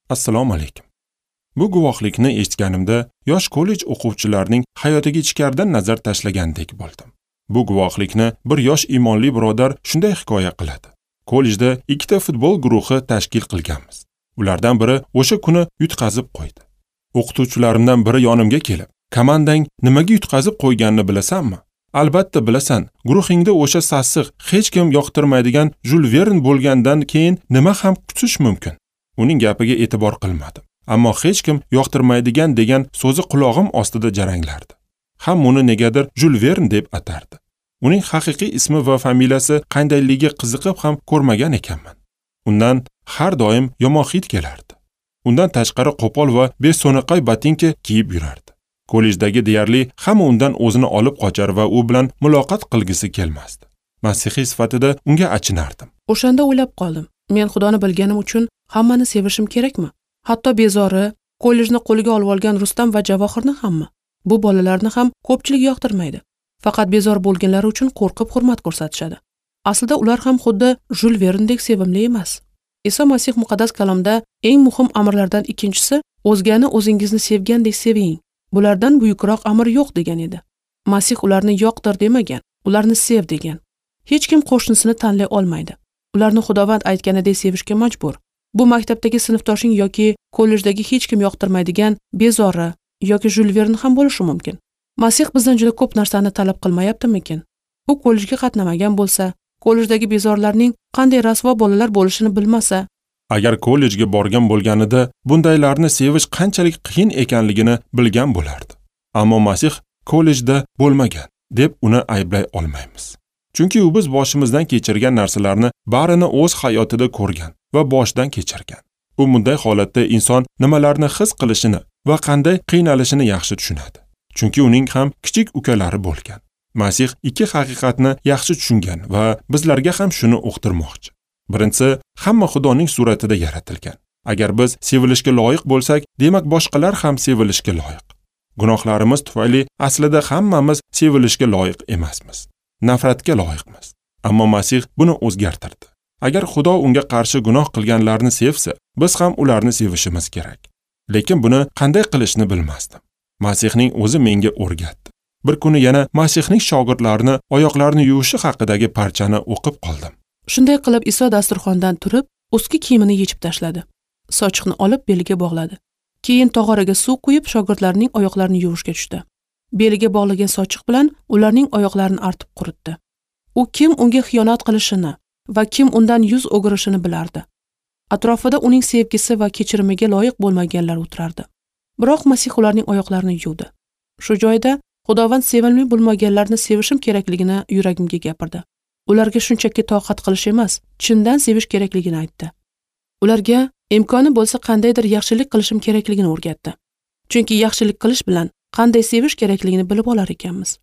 Assalomu alaykum. Bu guvohlikni eshitganimda yosh kollej o'quvchilarining hayotiga ichkaridan nazar tashlagandek bo'ldim. Bu guvohlikni bir yosh iymonli birodar shunday hikoya qiladi. Kollejda ikkita futbol guruhi tashkil qilganmiz. Ulardan biri o'sha kuni yutqazib qo'ydi. O'qituvchilarimdan biri yonimga kelib, "Komandang nimaga yutqazib qo'yganini bilasanmi?" "Albatta bilasan. Guruhingda o'sha sassiq, hech kim yoqtirmaydigan Jul Vern bo'lgandan keyin nima ham kutish mumkin?" Uning gapiga e'tibor qilmadim. Ammo hech kim yoqtirmaydigan degan so'zi qulog'im ostida jaranglardi. Ham uni negadir Jul Vern deb atardi. Uning haqiqiy ismi va familiyasi qandayligiga qiziqib ham ko'rmagan ekanman. Undan har doim yomon hid kelardi. Undan tashqari qo'pol va beso'naqay botinka kiyib yurardi. Kollejdagi deyarli hamma undan o'zini olib qochar va u bilan muloqot qilgisi kelmasdi. Masihiy sifatida unga achinardim. O'shanda o'ylab qoldim. Men Xudoni bilganim uchun hammani sevishim kerakmi? Hatto bezori, kollejni qo'liga olib olgan Rustam va Javohirni hammi? Bu bolalarni ham ko'pchilik yoqtirmaydi. Faqat bezor bo'lganlari uchun qo'rqib hurmat ko'rsatishadi. Aslida ular ham xuddi Jul Verndek sevimli emas. Iso Masih muqaddas kalomda eng muhim amrlardan ikkinchisi o'zgani o'zingizni sevgandek seving. Bulardan buyukroq amr yo'q degan edi. Masih ularni yoqtir demagan, ularni sev degan. Hech kim qo'shnisini tanlay olmaydi. Ularni Xudovand aytganidek sevishga majbur. Bu maktabdagi sinfdoshing yoki kollejdagi hech kim yoqtirmaydigan bezori yoki Jul Vern ham bo'lishi mumkin. Masih bizdan juda ko'p narsani talab qilmayaptimikin? U kollejga qatnamagan bo'lsa, kollejdagi bezorlarning qanday rasvo bolalar bo'lishini bilmasa, agar kollejga borgan bo'lganida bundaylarni sevish qanchalik qiyin ekanligini bilgan bo'lardi. Ammo Masih kollejda bo'lmagan deb uni ayblay olmaymiz. Chunki u biz boshimizdan kechirgan narsalarni barini o'z hayotida ko'rgan va boshdan kechirgan. U bunday holatda inson nimalarni his qilishini va qanday qiynalishini yaxshi tushunadi. Chunki uning ham kichik ukalari bo'lgan. Masih ikki haqiqatni yaxshi tushungan va bizlarga ham shuni uqtirmoqchi. Birinchisi, hamma Xudoning suratida yaratilgan. Agar biz sevilishga loyiq bo'lsak, demak boshqalar ham sevilishga loyiq. Gunohlarimiz tufayli aslida hammamiz sevilishga loyiq emasmiz. Nafratga loyiqmiz. Ammo Masih buni o'zgartirdi. Agar Xudo unga qarshi gunoh qilganlarni sevsa, biz ham ularni sevishimiz kerak. Lekin buni qanday qilishni bilmasdim. Masihning o'zi menga o'rgatdi. Bir kuni yana Masihning shogirdlarini oyoqlarini yuvishi haqidagi parchani o'qib qoldim. Shunday qilib Iso dasturxondan turib, ustki kiyimini yechib tashladi. Sochiqni olib beliga bog'ladi. Keyin tog'oraga suv quyib shogirdlarining oyoqlarini yuvishga tushdi. Beliga bog'lagan sochiq bilan ularning oyoqlarini artib quritdi. U kim unga xiyonat qilishini va kim undan yuz o'girishini bilardi. Atrofida uning sevgisi va kechirimiga loyiq bo'lmaganlar o'tirardi. Biroq Masih ularning oyoqlarini yuvdi. Shu joyda Xudovand sevimli bo'lmaganlarni sevishim kerakligini yuragimga gapirdi. Ularga shunchaki toqat qilish emas, chindan sevish kerakligini aytdi. Ularga imkoni bo'lsa qandaydir yaxshilik qilishim kerakligini o'rgatdi. Chunki yaxshilik qilish bilan qanday sevish kerakligini bilib olar ekanmiz.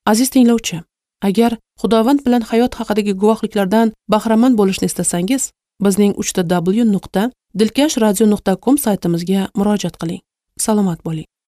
Aziz tinglovchi, agar Xudovand bilan hayot haqidagi guvohliklardan bahramand bo'lishni istasangiz, bizning 3w.dilkashradio.com saytimizga murojaat qiling. Salomat bo'ling.